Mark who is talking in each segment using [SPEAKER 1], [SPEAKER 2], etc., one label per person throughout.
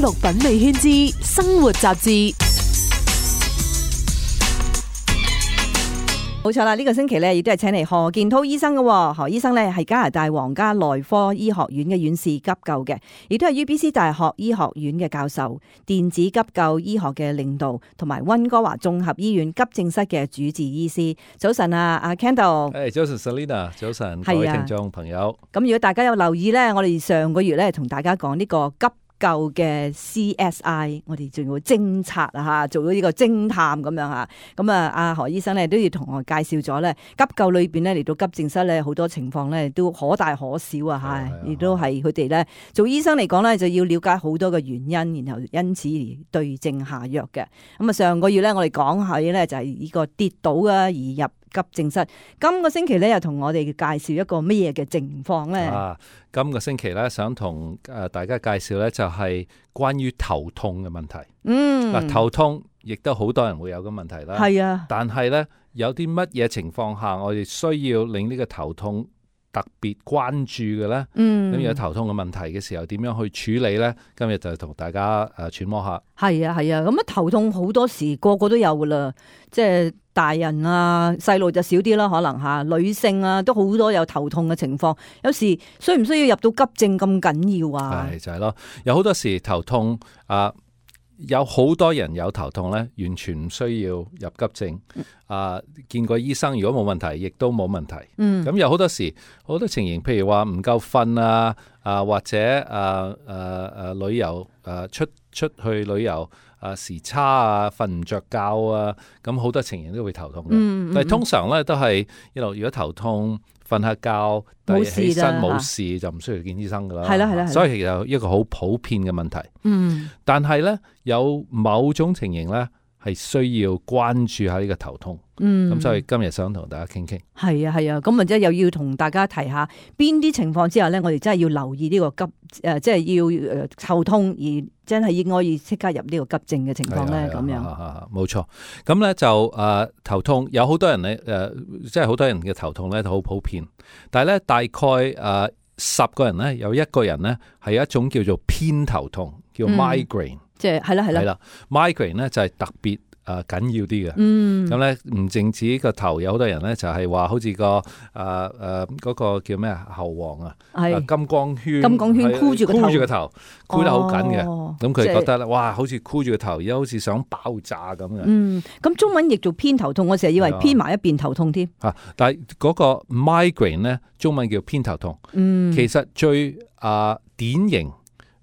[SPEAKER 1] 綠品味圈之生活雜誌。冇錯啦，呢個星期咧亦都係請嚟何建滔醫生嘅。何醫生咧係加拿大皇家內科醫學院嘅院士急救嘅，亦都係 UBC 大學醫學院嘅教授、電子急救醫學嘅領導，同埋溫哥華綜合醫院急症室嘅主治醫師。早晨啊，阿 Kendall。
[SPEAKER 2] 早晨 Selina， 早晨各位聽眾朋友。
[SPEAKER 1] 咁如果大家有留意咧，我哋上個月咧同大家講呢個急救嘅 CSI， 我哋仲要偵察啊吓，做咗呢個偵探咁樣吓。咁啊，阿何醫生咧都要同我介紹咗咧，急救裏邊咧嚟到急症室咧，好多情況咧都可大可小啊吓，亦都係佢哋咧做醫生嚟講咧就要了解好多嘅原因，然後因此而對症下藥嘅。咁啊，上個月咧我哋講起咧就係呢個跌倒啊而入急症室。今個星期咧又同我哋介紹一個咩嘢嘅情況咧？
[SPEAKER 2] 今個星期咧想同大家介紹咧就係關於頭痛嘅問題。頭痛亦都好多人會有嘅問題啦。係啊，但係咧有啲乜嘢情況下我哋需要令呢個頭痛特別關注嘅咧？咁有頭痛嘅問題嘅時候，點樣去處理咧？今日就同大家揣摩下。係啊，咁啊頭痛好多時個個都有噶啦，即係大人啊、細路就少啲啦，可能吓女性啊都好多有頭痛嘅情況。有時需唔需要入到急症咁緊要啊？係就係咯，有好多時頭痛有好多人有頭痛咧，完全唔需要入急症。見過醫生，如果冇問題，亦都冇問題。咁有好多時好多情形，譬如話唔夠瞓啊，或者旅遊出去旅遊時差啊，瞓唔着覺啊，咁好多情形都會頭痛嘅。但係通常咧都係如果頭痛瞓下覺，但係起身冇事就唔需要見醫生噶啦。係啦，所以其實一個好普遍嘅問題。但係咧有某種情形咧係需要關注下呢個頭痛。咁所以今日想同大家傾傾。係啊，咁啊即係又要同大家提下邊啲情況之下咧，我哋真係要留意呢個急即係要頭痛而真係應該要即刻入呢個急症嘅情況咧。咁樣冇錯。咁咧就頭痛有好多人咧即係好多人嘅頭痛咧都好普遍，但係咧大概10個人咧有1個人咧係一種叫做偏頭痛，叫 migraine。即係係啦 migraine 咧就係特別緊要啲嘅。咁咧唔淨止個頭，有好多人咧就係話好似個嗰個叫咩喉黃啊，金剛圈箍住個頭，箍得好緊嘅。咁佢覺得咧，哇，好似箍住個頭，而家好似想爆炸咁嘅。咁中文譯做偏頭痛，我成日以為偏埋一邊頭痛添。但係嗰個 migraine 咧，中文叫偏頭痛。其實最典型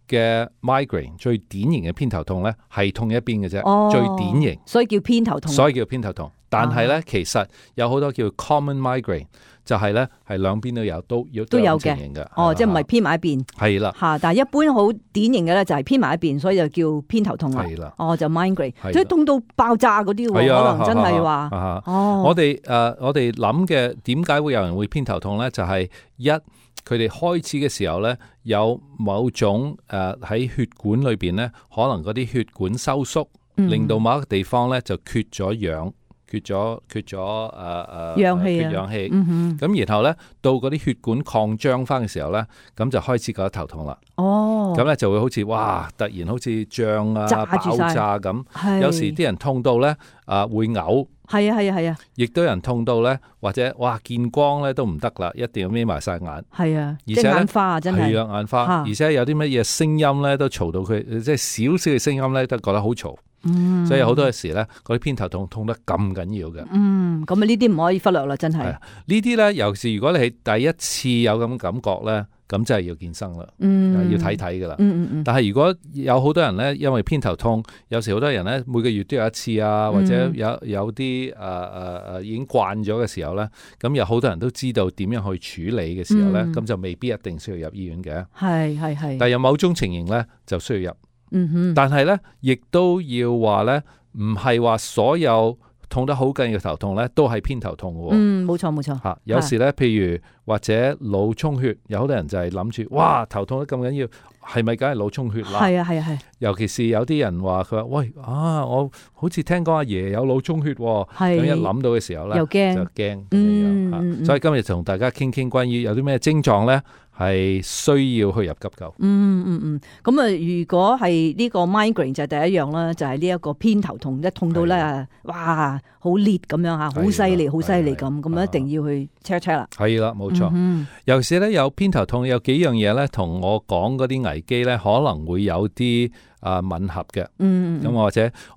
[SPEAKER 2] 嘅 migraine 最典型嘅偏頭痛咧係痛一邊嘅啫。最典型，所以叫偏頭痛。但係咧其實有好多叫 common migraine， 就係咧係兩邊都有，都有情形嘅。即係唔係偏埋一邊。係啦，但係一般好典型嘅咧就係偏埋一邊，所以就叫偏頭痛啦。係啦，就 migraine， 即係痛到爆炸嗰啲，可能真係話。我哋諗嘅點解會有人會偏頭痛咧？就係佢哋開始嘅時候咧，有某種喺血管裏邊咧，可能嗰啲血管收縮，令到某一個地方咧就缺咗氧，缺咗氧氣。咁然後咧到嗰啲血管擴張翻嘅時候咧，咁就開始覺得頭痛啦。咁咧就會好似哇，突然好似脹啊、爆炸咁。有時啲人痛到咧會嘔。係啊，亦都有人痛到咧，或者哇見光咧都唔得啦，一定要眯埋晒眼。係啊，而且眼花啊，真係。係啊，眼花，而且有啲乜嘢聲音咧都嘈到佢，即係少少嘅聲音咧都覺得好嘈。所以好多嘅時咧，嗰啲偏頭痛痛得咁緊要嘅。咁啊呢啲唔可以忽略啦，真係。呢啲咧，尤其是如果你係第一次有咁感覺咧，咁真係要見醫生啦，要睇睇噶啦。但係如果有好多人咧，因為偏頭痛，有時好多人咧每個月都有一次啊，或者有啲已經慣咗嘅時候咧，咁有好多人都知道點樣去處理嘅時候咧，咁就未必一定需要入醫院嘅。係。但係有某種情形咧就需要入。但係咧，亦都要話咧，唔係話所有痛得好緊嘅頭痛咧，都係偏頭痛嘅。冇錯。有時咧，譬如或者腦充血，有好多人就係諗住，哇，頭痛得咁緊要，係咪梗係腦充血啦？係啊。尤其是有啲人話佢話，喂我好似聽講阿爺有腦充血，咁一諗到嘅時候咧，就驚。所以今日同大家傾傾關於有啲咩症狀咧，係需要去入急救。
[SPEAKER 1] 咁啊，如果係呢個 migraine 就係第一樣啦，就係呢一個偏頭痛，一痛到咧，哇，好烈咁樣吓，好犀利，好犀利咁，一定要去 check 啦。
[SPEAKER 2] 係啦，冇錯。尤其是咧有偏頭痛，有幾樣嘢咧，同我講嗰啲危機咧，可能會有啲吻合嘅。咁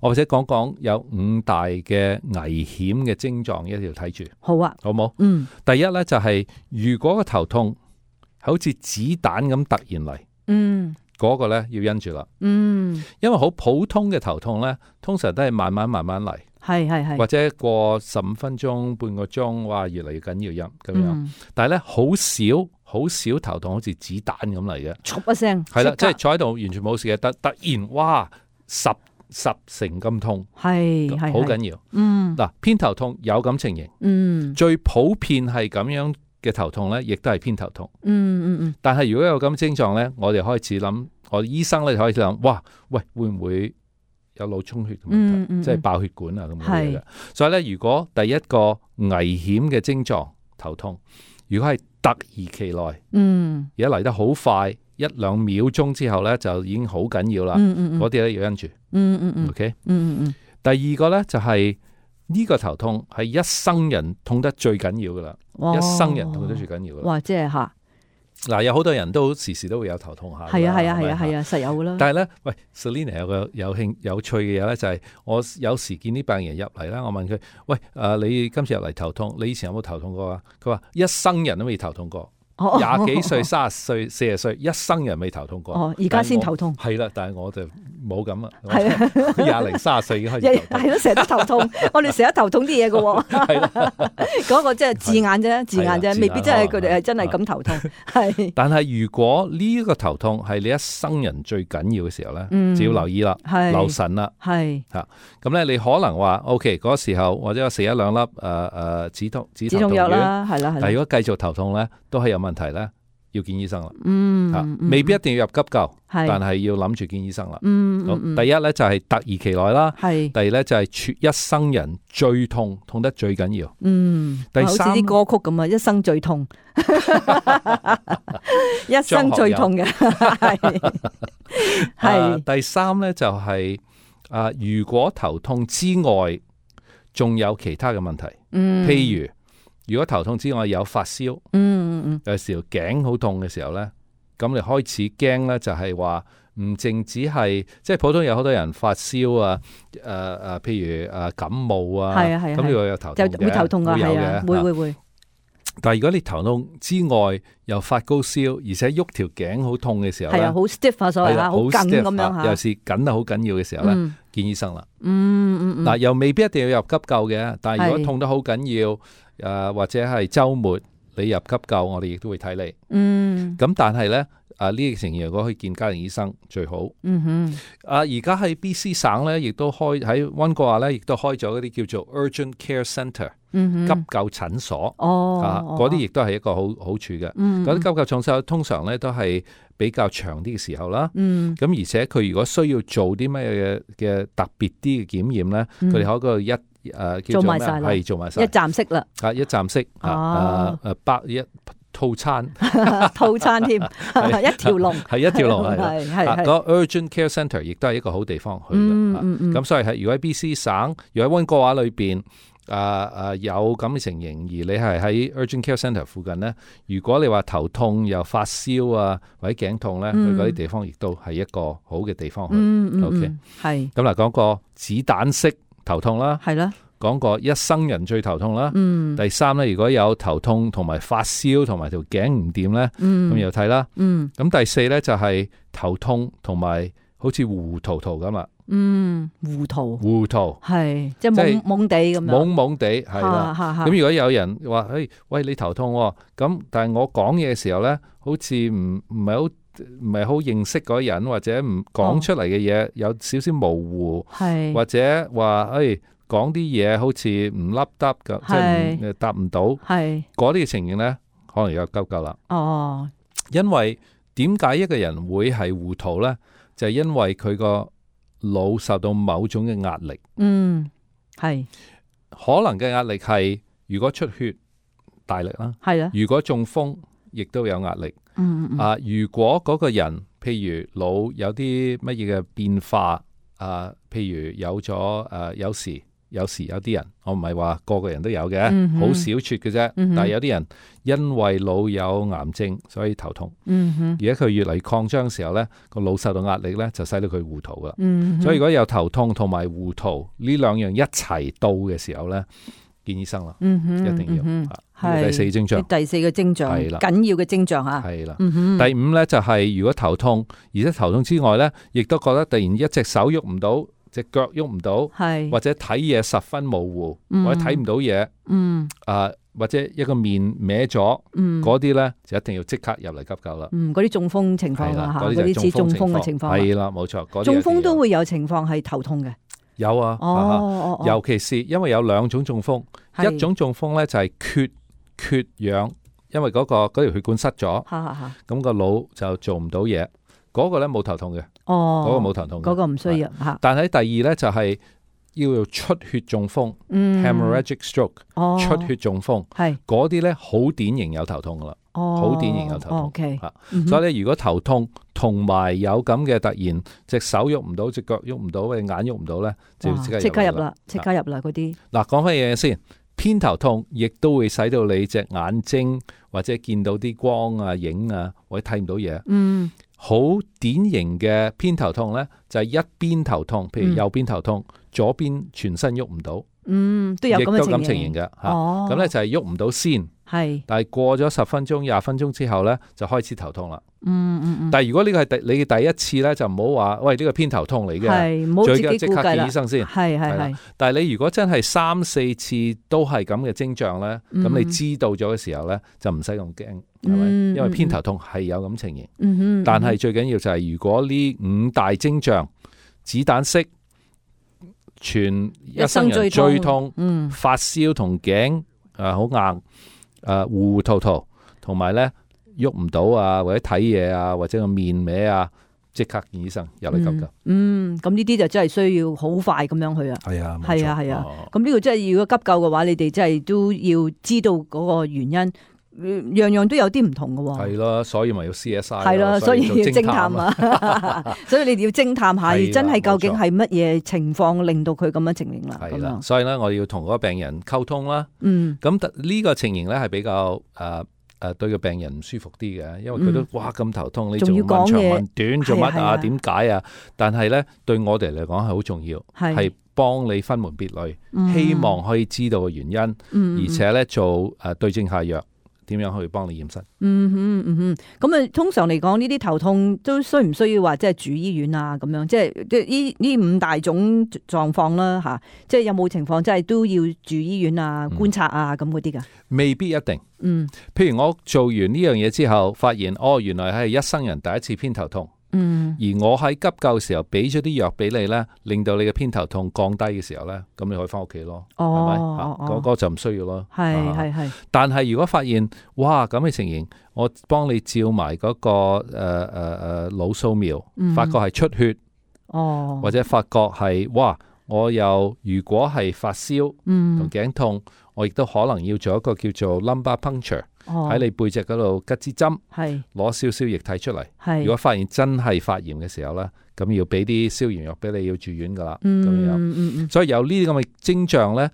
[SPEAKER 2] 或者講有5大嘅危險嘅症狀，一定要睇住。好啊，好冇？第一咧就係如果個頭痛好似子彈咁突然嚟，嗰個咧要因住啦。因為好普通嘅頭痛咧，通常都係慢慢嚟，係，或者過15分鐘、半個鐘，哇，越嚟越緊要咁樣。但係咧好少頭痛好似子彈咁嚟嘅，唰一聲，係啦，即係坐喺度完全冇事嘅，突然哇十成咁痛，係好緊要。嗱，偏頭痛有咁情形，最普遍係咁樣嘅頭痛咧，亦都係偏頭痛。但係如果有咁症狀咧，我哋開始諗，我醫生咧開始諗，哇，喂，會唔會有腦充血嘅問題，即係爆血管啊咁樣嘅？所以咧，如果第一個危險嘅症狀頭痛，如果係突如其來，而家嚟得好快，1-2秒鐘之後咧就已經好緊要啦。嗰啲咧要因住。OK。第二個咧就係呢個頭痛係一生人痛得最緊要噶啦，一生人痛得最緊要噶啦。哇，即係吓。嗱，有好多人都時時都會有頭痛下，係啊，實有噶啦。但係咧，喂 Selina 有個有趣嘅嘢咧，就係我有時見啲病人入嚟啦，我問佢，喂，你今次入嚟頭痛，你以前有冇頭痛過啊？佢話一生人都未頭痛過。20幾歲、30歲、40歲，一生人未頭痛過。而家先頭痛。係啦，但係我就冇咁啊。係啊，20零30歲已經開始頭痛。係咯，成日都頭痛。我哋成日頭痛啲嘢嘅喎。係啦，嗰個即係字眼啫，未必真係佢哋係真係咁頭痛。係。但係如果呢個頭痛係你一生人最緊要嘅時候咧，就要留意啦，留神啦。係。嚇，咁咧你可能話 OK 嗰時候或者我食1-2粒止痛藥啦，係啦。但係如果繼續頭痛咧，都係有問題咧，要見醫生啦。未必一定要入急救，但係要諗住見醫生啦。第一咧就係突如其來啦，第二咧就係一生人最痛得最緊要。第三，好似啲歌曲咁啊，一生最痛，一生最痛嘅係。第三咧就係如果頭痛之外，仲有其他嘅問題，譬如果頭痛之外有發燒，有時候頸好痛嘅時候咧，咁你開始驚咧，就係話唔淨止係即係普通有好多人發燒啊，譬如感冒啊，咁你會有頭痛嘅，會頭痛㗎，係啊，會。但係如果你頭痛之外又發高燒，而且喐條頸好痛嘅時候咧，係啊，好 stiff 啊，所謂好緊咁樣嚇，尤其是緊得好緊要嘅時候咧，見醫生啦。嗱，又未必一定要入急救嘅，但係如果痛得好緊要，或者係週末你入急救，我哋亦都會睇你。咁但係咧，呢個情形如果可以見家庭醫生最好。而家喺 BC 省咧，亦都開喺溫哥華咧，亦都開咗嗰啲叫做 Urgent Care Centre。急救診所，嗰啲亦都係一個好處嘅。嗰啲急救診所通常咧都係比較長啲嘅時候啦。咁而且佢如果需要做啲咩嘅特別啲嘅檢驗咧，佢哋喺嗰度叫做咩？係做埋晒，一站式啦。一站式一套餐添，一條龍係一條龍係。嗰 Urgent Care Centre 亦都係一個好地方去嘅。咁所以如果喺 BC 省，如果喺溫哥華裏邊。有咁嘅情形，而你係喺 Urgent Care Centre 附近咧，如果你話頭痛又發燒啊，或者頸痛咧，去嗰啲地方亦都係一個好嘅地方去。OK， 係。咁嗱，講個子彈式頭痛啦，係啦，講個一生人最頭痛啦。第三咧，如果有頭痛同埋發燒同埋條頸唔掂咧，咁又睇啦。咁第四咧就係頭痛同埋好似糊塗咁啦。糊塗係即係懵地咁樣，懵地係啦。咁如果有人話，喂，你頭痛咁，但係我講嘢嘅時候咧，好似唔係好認識嗰人，或者唔講出嚟嘅嘢有少少模糊，或者話講啲嘢好似唔凹得噶，即係答唔到，嗰啲嘅情形咧，可能有急救啦。因為點解一個人會係糊塗咧？就係因為佢個腦受到某種嘅壓力，係可能嘅壓力係如果出血大力啦，係啦，如果中風亦都有壓力，如果嗰個人譬如腦有啲乜嘢嘅變化譬如有咗有時有啲人，我唔係話個個人都有嘅，好少撮嘅啫。但係有啲人因為腦有癌症，所以頭痛。而家佢越嚟擴張嘅時候呢，個腦受到壓力呢，就使到佢糊塗噶。所以如果有頭痛同埋糊塗呢兩樣一齊到嘅時候呢，見醫生啦，一定要。第四徵象，
[SPEAKER 1] 第四個徵象，緊要嘅徵象吓。
[SPEAKER 2] 係啦，第五呢，就係如果頭痛，而且頭痛之外呢，亦都覺得突然一隻手喐唔到。隻腳喐唔到，或者睇嘢十分模糊，或者睇唔到嘢，或者一個面歪咗，嗰啲咧就一定要即刻入嚟急救啦。嗰
[SPEAKER 1] 啲中風情況啦，嗰啲似中風嘅情況。
[SPEAKER 2] 係啦，冇錯。
[SPEAKER 1] 中風都會有情況係頭痛嘅。
[SPEAKER 2] 有啊，尤其是因為有兩種中風，一種中風咧就係缺氧，因為嗰條血管塞咗，咁個腦就做唔到嘢。嗰個咧冇頭痛嘅，嗰個冇頭痛嘅，
[SPEAKER 1] 嗰個唔需要。
[SPEAKER 2] 但係第二咧就係要出血中風 hemorrhagic stroke， 出血中風，嗰啲咧好典型有頭痛噶啦，好典型有頭痛。所以咧，如果頭痛同埋有咁嘅突然隻手喐唔到，隻腳喐唔到，或者眼喐唔到咧，就要即刻入啦，
[SPEAKER 1] 即刻入啦嗰啲。
[SPEAKER 2] 嗱，講翻嘢先，偏頭痛亦都會使到你隻眼睛或者見到啲光啊、影啊，或者睇唔到嘢。好典型嘅偏頭痛呢，就係一邊頭痛，譬如右邊頭痛，左邊全身喐唔到，
[SPEAKER 1] 都有咁情形
[SPEAKER 2] 嘅。咁呢就係喐唔到先，但係過咗10分鐘、20分鐘之後呢，就開始頭痛啦。但係如果呢個係你嘅第一次呢，就唔好話喂，呢個偏頭痛嚟嘅，最緊即刻見醫生先。但係你如果真係3、4次都係咁嘅徵象呢，咁你知道咗嘅時候呢，就唔使咁驚。係咪？因為偏頭痛係有咁情形，但係最緊要就係如果呢5大徵象，子彈式，全一生人最痛，發燒同頸好硬，糊糊塗塗，同埋咧喐唔到啊，或者睇嘢啊，或者個面歪啊，即刻見醫生入嚟急救。
[SPEAKER 1] 咁呢啲就真係需要好快咁樣去啊。係啊。咁呢個真係如果急救嘅話，你哋真係都要知道嗰個原因。樣樣都有啲唔同嘅喎，
[SPEAKER 2] 係咯，所以咪要 CSI，
[SPEAKER 1] 係咯，所以要偵探啊，所以你哋要偵探下，真係究竟係乜嘢情況令到佢咁樣情形啦。
[SPEAKER 2] 係啦，所以咧我要同嗰個病人溝通啦。咁呢個情形咧係比較對個病人唔舒服啲嘅，因為佢都哇咁頭痛，你仲要問長問短做乜啊？點解啊？但係咧對我哋嚟講係好重要，係幫你分門別類，希望可以知道嘅原因，而且咧做對症下藥。點樣去幫你驗身？
[SPEAKER 1] 咁通常嚟講，呢啲頭痛都需唔需要話即係住醫院啊？咁樣即係呢5大種狀況啦，吓，即係有冇情況即係都要住醫院啊、觀察啊咁嗰啲噶？
[SPEAKER 2] 未必一定。譬如我做完呢樣嘢之後，發現原來係一生人第一次偏頭痛。而我喺急救嘅時候俾咗啲藥俾你咧，令到你嘅偏頭痛降低嘅時候咧，咁你可以翻屋企咯，係咪？嗰個就唔需要咯。係。但係如果發現哇咁嘅情形，我幫你照埋嗰個腦掃描，發覺係出血，或者發覺係哇，我又如果係發燒同頸痛，我亦都可能要做一個叫做 lumbar puncture。喺你背脊嗰度拮支針，攞少少液體出嚟。如果發現真係發炎嘅時候咧，咁要俾啲消炎藥俾你，要住院噶啦。咁樣，所以有呢啲咁嘅徵象咧，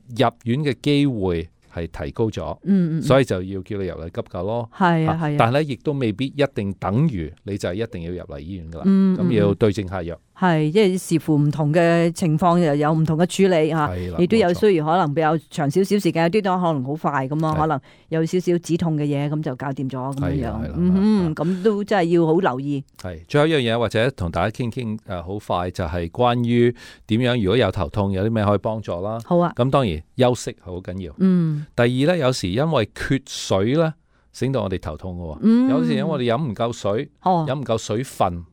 [SPEAKER 2] 入院嘅機會係提高咗。所以就要叫你入嚟急救咯。係啊。但係咧，亦都未必一定等於你就係一定要入嚟醫院噶啦。咁要對症下藥。係，即係視乎唔同嘅情況，又有唔同嘅處理吓，亦都有需要可能比較長少少時間，有啲都可能好快咁啊，可能有少少止痛嘅嘢，咁就搞掂咗咁樣樣。咁都真係要好留意。係，最後一樣嘢或者同大家傾傾好快就係關於點樣，如果有頭痛有啲咩可以幫助啦。好啊。咁當然休息好緊要。第二咧，有時因為缺水咧，整到我哋頭痛嘅。有時因為我哋飲唔夠水，飲唔夠水分，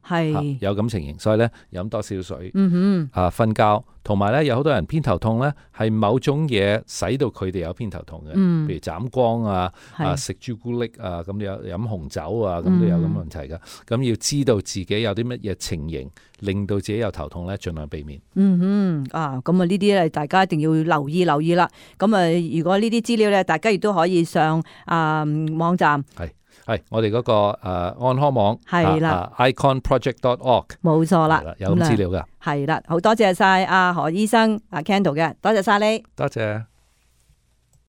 [SPEAKER 2] 有咁情形，所以咧飲多少水，瞓覺，同埋咧有好多人偏頭痛咧係某種嘢使到佢哋有偏頭痛嘅，譬如斬光啊，食朱古力啊，咁有飲紅酒啊，咁都有咁問題噶。咁要知道自己有啲乜嘢情形令到自己有頭痛咧，盡量避免。咁啊呢啲咧大家一定要留意啦。咁如果呢啲資料咧，大家亦都可以上網站係我哋嗰個安康網
[SPEAKER 1] 係啦
[SPEAKER 2] ，iconproject.org
[SPEAKER 1] 冇錯啦，
[SPEAKER 2] 有咁資料噶。
[SPEAKER 1] 係啦，好多謝晒阿何醫生阿 Kendall 嘅，多謝晒你，
[SPEAKER 2] 多謝。